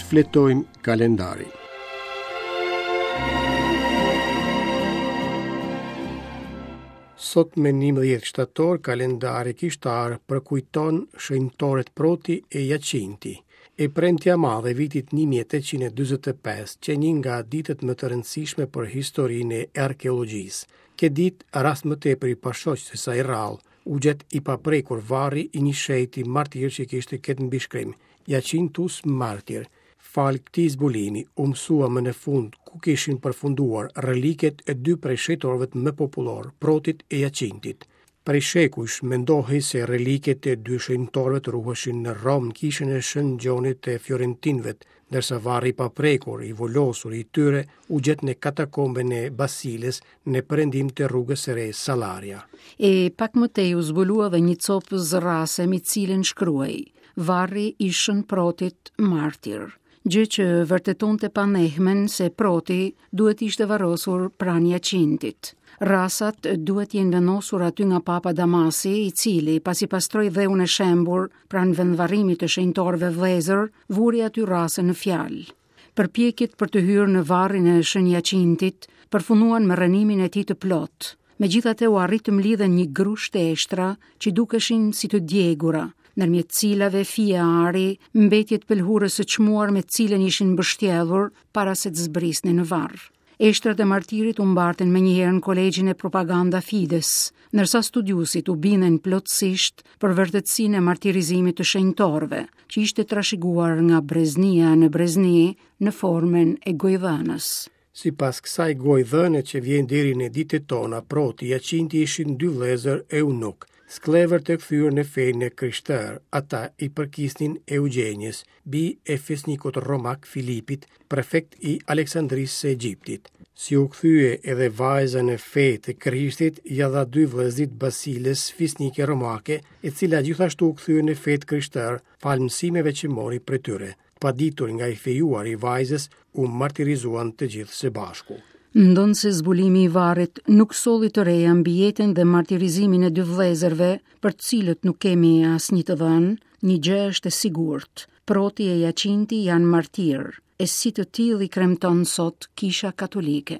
Shfletojmë kalendarin. Sot me 11 shtator kalendari kishtar përkujton shenjtorët Proti e Jacinti. E premtja e madhe e vitit 1845 qe një nga ditët më të rëndësishme për historinë e arkeologjisë. Këtë ditë, rast më tepër i pashoq se sa i rrallë, u gjet i paprekur varri i një shenjti martir që kishte këtë mbishkrim, Jacintus Martir. Falë këtij zbulimi, u mësua më në fund ku kishin përfunduar reliket e dy prej shenjtorëve më popullorë, Protit e Jacintit. Prej shekujsh mendohej se reliket e dy shenjtorëve të ruheshin në Romë në kishën e Shën Gjonit të Fiorentinëve, ndërsa varri i paprekur, i vulosur i tyre u gjet në katakombën e Basilës në perëndim të rrugës së re Salaria. E pak më tej u zbulua dhe një copë zërrase mbi të cilën shkruhej Varri i Shën Protit Martir gjë që vërtetonte panehmen se Proti duhet ishte varrosur pranë Jacintit. Rrasat duhet jenë vendosur aty nga Papa Damasi, i cili, pasi pastroi dheun e shembur pranë vendvarrimit të shenjtorëve vëllezër, vuri aty rrasën në fjalë. Përpjekjet për të hyrë në varrin e Shën Jacintit përfunduan me rrënimin e tij të plotë. Megjithatë u arrit të mblidhen një grusht eshtra që dukeshin si të djegura, ndërmjet cilave fije ari, mbetje të pëlhurës së çmuar me të cilën ishin mbështjellur para se të zbrisnin në varr. Eshtrat e martirit u mbartën menjëherë në kolegjin e Propaganda Fides, ndërsa studiuesit u bindën plotësisht për vërtetësinë e martirizimit të shenjtorëve, që ishte trashëguar nga breznia në brezni në formën e gojëdhënës. Sipas kësaj gojëdhëne që vjen deri në ditët tona, Proti e Jacinti ishin dy vëllezër eunukë, skllevër të kthyer në fenë e krishterë. Ata i përkisnin Eugjenjës, bijë e fisnikut romak Filipit, prefekt i Aleksandrisë së Egjiptit. Si u kthye edhe vajza në fe të Krishtit, ia dha dy vëllezërit Basilës, fisnike romake, e cila gjithashtu u kthye në fe të krishterë, falë mësimeve që mori prej tyre. Pa ditur nga i fejuari i vajzës, u martirizuan të gjithë së bashku. Ndonëse zbulimi i varrit nuk solli të reja mbi jetën dhe martirizimin e dy vëllezërve, për të cilët nuk kemi asnjë të dhënë, një gjë është e sigurt. Proti e Jacinti janë martirë, e si të tillë i kremton sot Kisha Katolike.